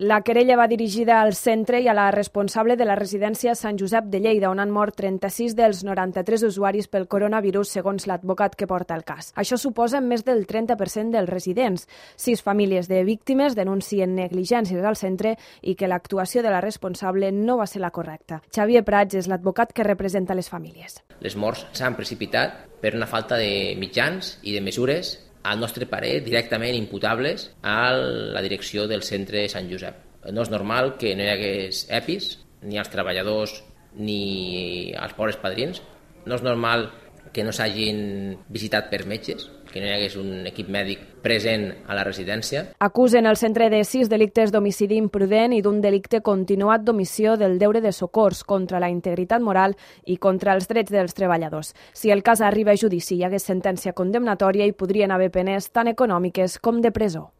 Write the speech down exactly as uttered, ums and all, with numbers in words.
La querella va dirigida al centre i a la responsable de la residència Sant Josep de Lleida, on han mort trenta-sis dels noranta-tres usuaris pel coronavirus, segons l'advocat que porta el cas. Això suposa més del trenta per cent dels residents. Sis famílies de víctimes denuncien negligències al centre i que l'actuació de la responsable no va ser la correcta. Xavier Prats és l'advocat que representa les famílies. Les morts s'han precipitat per una falta de mitjans i de mesures, al nostre parer, directament imputables a la direcció del centre Sant Josep. No és normal que no hi hagués E P Is, ni als treballadors ni als pobres padrins. No és normal que no s'hagin visitat per metges, que no hi hagués un equip mèdic present a la residència. Acusen el centre de sis delictes d'homicidi imprudent i d'un delicte continuat d'omissió del deure de socors contra la integritat moral i contra els drets dels treballadors. Si el cas arriba a judici i hi hagués sentència condemnatòria, hi podrien haver penes tant econòmiques com de presó.